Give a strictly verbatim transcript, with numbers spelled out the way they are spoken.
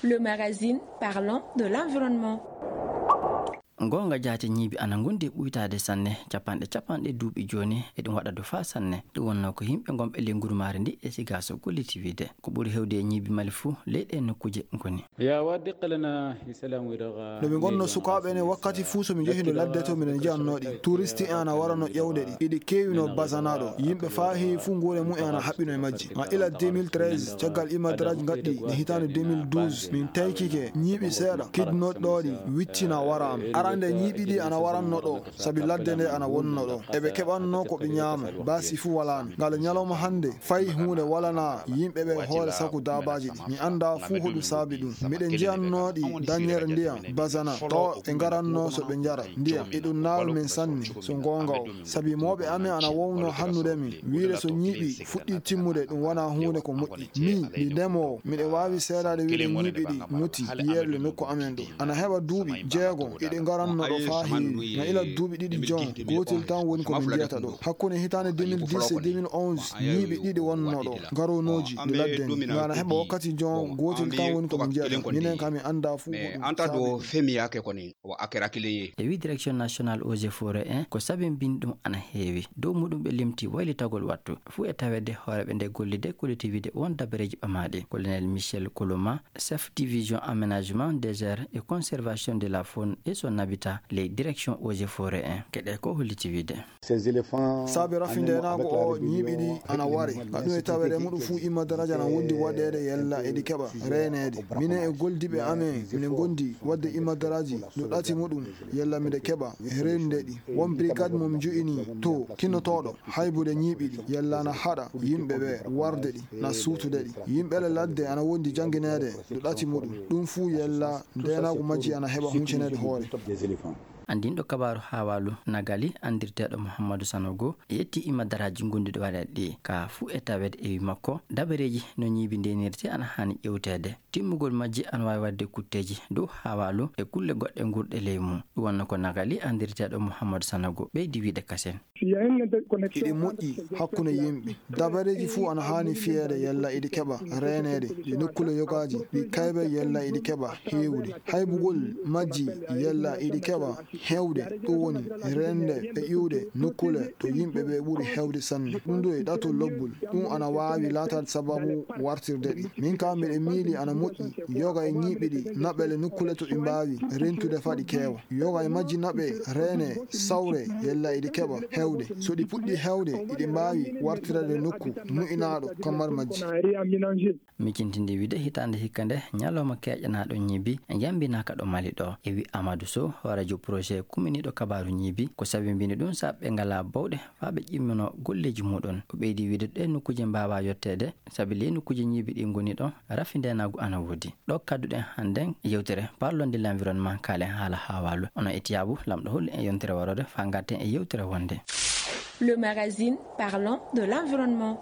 Le magazine parlant de l'environnement. Goonga jaati ñiibi ana ngondi e ɓuytaade sanne, capanɗe capanɗe duuɓi jooni, eɗum waɗa du faa sanne. Ɗum wonnoo ko yimɓe ngonɓe ley ngurumaare ndi e sigaaso gollitiwiide. Ko ɓuri heewde e ñiibi Mali fuu, ley ɗee nokkuuje ngoni. Ya wa diqalana islam wiraga. No ɓe ngonno sukaaɓe ne wakkati fuu so mi njehino ladde to miɗen njiyannoo ɗi. Touriste en ana warano ƴewde ɗi. Iɗi keewino Bazana ɗo. Yimɓe faa heewi fuu nguure mum en ana haɓɓino e majji. Ma ila deux mille treize, caggal Imadraj ngaɗɗi, e hitaande deux mille douze, min taykike ñiiɓi seeɗa, kidnotɗo ɗi, wiccina waraano. Arande ñiiɓi ɗi ana waranno ɗo, sabi ladde nde ana wonno ɗo. Eɓe keɓanno ko ɓe ñaama, baasi fuu walaano. Ngal ñalawma hannde, fay huunde walanaa yimɓe ɓe hoore saku daabaaji ɗi. Mi anndaa fuu hoɗum saabi ɗum. Miɗen njiyannoo ɗi dañere ndiyam, Bazana, to ɓe ngaranno so ɓe njara ndiyam. Eɗum naawi min sanne, so goonga o. Sabi mooɓe amen ana wowno hannude min, wiide so ñiiɓi fuɗɗii timmude, ɗum wonaa huunde ko moƴƴi. Min, mi ndemoowo, miɗo waawi seedaade wiide ñiiɓi ɗi muti yeeɓle nokku amen ɗo. Ana heɓa duuɓi jeego, iɗi ngaranno ɗo faa heewi. Na ila duuɓi ɗiɗi jon, gootel tan woni ko min njiyata ɗo. Hakkunde hitaande deux mille dix e deux mille onze, ñiiɓi ɗiɗi wonno ɗo, garonooji, ɗi ladde ni. Nga ana heɓa wakkati jon, gootel tan woni ko min njiyata. Minen kam, mi anndaa fuu ko ɗum saabi. Femiyaake ko ni, o akera kiliye. E wi Direction Nationale Eaux et Forêts en, ko sabimbini ɗum ana heewi. Dow muɗum ɓe limti waylitagol wattu. Fuu e taweede hooreeɓe nde gollide collectivité won dabareeji ɓamaaɗi. Colonel Michel Koloma, chef division aménagement, désert et conservation de la faune et son habitat, ley Direction Eaux et Forêts en. Keɗe ko holliti wiide. Saabe rafi ndeenaagu o, ñiiɓi ɗi ana ware. Ka ɗum e taweede muɗum fuu, Imadraj ana wondi waɗeede yalla eɗi keɓa reeneede. Minen e goldiiɓe amen, miɗen ngondi waɗde Imadraji no ɗati muɗum yalla miɗe keɓa reenude ɗi. Won brigade mo mi jo'ini to kinnotooɗo haybude ñiiɓi ɗi yalla ana haɗa yimɓe ɓe warde ɗi, na suutude ɗi. Yimɓe le ladde ana wondi janngineede no ɗati muɗum. Ɗum fuu yalla ndeenaagu majji ana heɓa huncineede hoore. Anndinɗo kabaaru Hawalu Nagali, anndirteeɗo Muhammadu Sanogo, yetti Imadraji ngonduɗi waɗeede ɗi. Ka fuu e taweede e wi makko, dabareeji no ñiibi ndeenirte ana haani ƴewteede. Timmugol majji ana waawi waɗde kutteeji dow Hawalu e kulle goɗɗe ngurɗe ley mum. Ɗum wonno ko Nagali, anndirteeɗo Muhammadu Sanogo, ɓeydi wiide kasen. Hiɗi moƴƴi hakkunde yimɓe. Dabareeji fuu ana haani fiyeede yalla iɗi keɓa reeneede. Ɗi nokkule yogaaji, ɗi kaybe yalla iɗi keɓa heewde. Haybugol majji yalla iɗi keɓa heewde. Ɗum woni rende e iwde nokkule to yimɓe ɓe ɓuri heewde sanne. Ɗum ɗo e ɗato lobbul. Ɗum ana waawi laataade sababu wartirde ɗi. Min ka miɗe miili ana moƴƴi yoga e ñiiɓi ɗi naɓele nokkule to ɗi mbaawi rentude faa ɗi keewa. Yoga e majji naɓe reene sawre yalla iɗi keɓa heewde. So ɗi puɗɗi heewde, iɗi mbaawi wartirade nokku mu'inaaɗo kamar majji. Micintinde wiide hitaande hikka nde, ñalawma keeƴanaaɗo ñiibi yambinaaka ɗo Mali ɗo. E wi Amadou Sow, hooreejo projet kumminiiɗo kabaaru ñiibi, ko sabimbini ɗum saɓɓe ngalaa bawɗe faa ɓe ƴimmino golleeji muɗum. O ɓeydi wiide ɗe nokkuuje mbaawaa yotteede, sabi ley nokkuuje ñiibi ɗi ngoni ɗo, rafi ndeenaagu ana woodi. Ɗo kadduɗen hannden yewtere Parlons de l'environnement, kaalen haala Hawalu. Onon e tiyaabu, lamɗo holli en yontere waroore faa ngarten e yewtere wonde. Le magazine parlant de l'environnement.